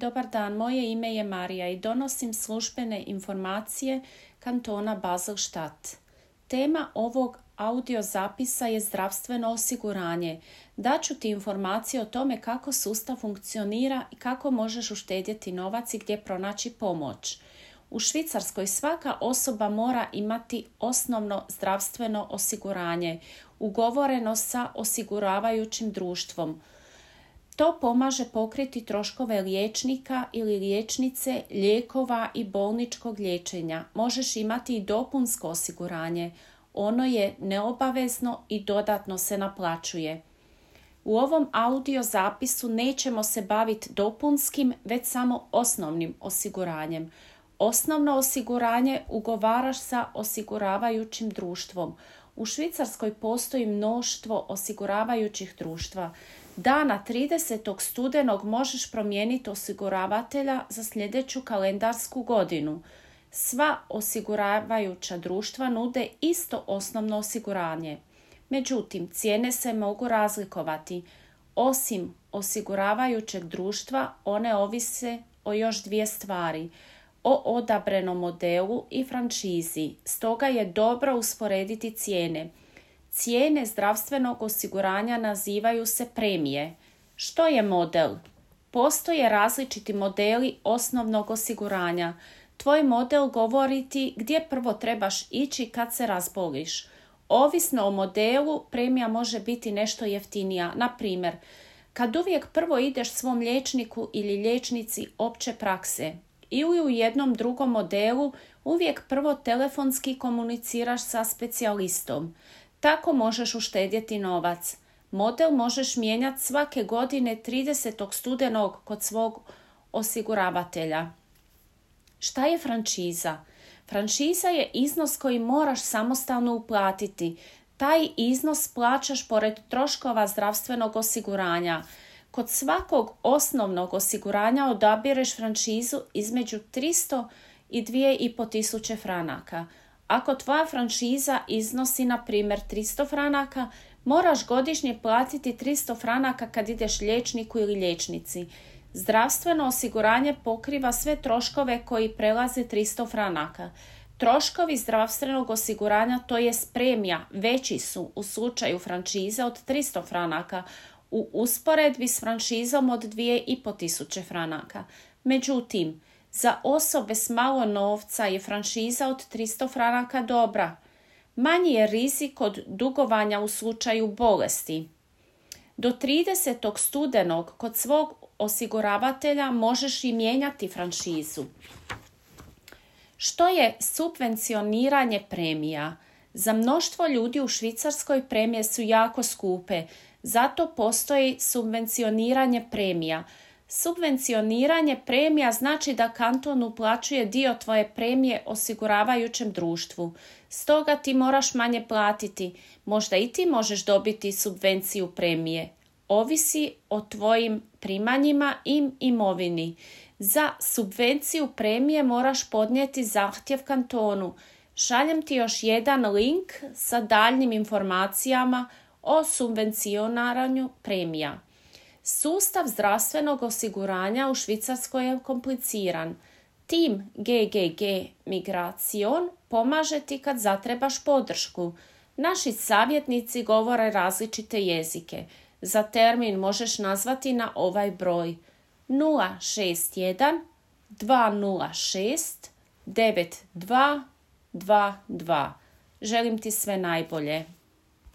Dobar dan, moje ime je Marija i donosim službene informacije kantona Basel-Stadt. Tema ovog audio zapisa je zdravstveno osiguranje. Daću ti informacije o tome kako sustav funkcionira i kako možeš uštedjeti novac i gdje pronaći pomoć. U Švicarskoj svaka osoba mora imati osnovno zdravstveno osiguranje, ugovoreno sa osiguravajućim društvom. To pomaže pokriti troškove liječnika ili liječnice, lijekova i bolničkog liječenja. Možeš imati i dopunsko osiguranje. Ono je neobavezno i dodatno se naplaćuje. U ovom audio zapisu nećemo se baviti dopunskim, već samo osnovnim osiguranjem. Osnovno osiguranje ugovaraš sa osiguravajućim društvom. U Švicarskoj postoji mnoštvo osiguravajućih društva. Dana 30. studenog možeš promijeniti osiguravatelja za sljedeću kalendarsku godinu. Sva osiguravajuća društva nude isto osnovno osiguranje. Međutim, cijene se mogu razlikovati. Osim osiguravajućeg društva, one ovise o još dvije stvari – o odabranom modelu i franšizi. Stoga je dobro usporediti cijene. Cijene zdravstvenog osiguranja nazivaju se premije. Što je model? Postoje različiti modeli osnovnog osiguranja. Tvoj model govori ti gdje prvo trebaš ići kad se razboliš. Ovisno o modelu, premija može biti nešto jeftinija. Na primjer, kad uvijek prvo ideš svom liječniku ili liječnici opće prakse, ili u jednom drugom modelu uvijek prvo telefonski komuniciraš sa specijalistom. Tako možeš uštedjeti novac. Model možeš mijenjati svake godine 30. studenog kod svog osiguravatelja. Šta je franšiza? Franšiza je iznos koji moraš samostalno uplatiti. Taj iznos plaćaš pored troškova zdravstvenog osiguranja. Kod svakog osnovnog osiguranja odabireš franšizu između 300 i 2500 franaka. Ako tvoja franšiza iznosi, na primjer, 300 franaka, moraš godišnje platiti 300 franaka kad ideš liječniku ili liječnici. Zdravstveno osiguranje pokriva sve troškove koji prelaze 300 franaka. Troškovi zdravstvenog osiguranja, to je premija, veći su u slučaju franšize od 300 franaka, u usporedbi s franšizom od 2500 franaka. Međutim, za osobe s malo novca je franšiza od 300 franaka dobra. Manji je rizik od dugovanja u slučaju bolesti. Do 30. studenog kod svog osiguravatelja možeš i mijenjati franšizu. Što je subvencioniranje premija? Za mnoštvo ljudi u Švicarskoj premije su jako skupe, zato postoji subvencioniranje premija. Subvencioniranje premija znači da kanton uplaćuje dio tvoje premije osiguravajućem društvu. Stoga ti moraš manje platiti. Možda i ti možeš dobiti subvenciju premije. Ovisi o tvojim primanjima i imovini. Za subvenciju premije moraš podnijeti zahtjev kantonu. Šaljem ti još jedan link sa daljnim informacijama o subvencioniranju premija. Sustav zdravstvenog osiguranja u Švicarskoj je kompliciran. Tim GGG Migration pomaže ti kad zatrebaš podršku. Naši savjetnici govore različite jezike. Za termin možeš nazvati na ovaj broj 061 206 9222. Želim ti sve najbolje.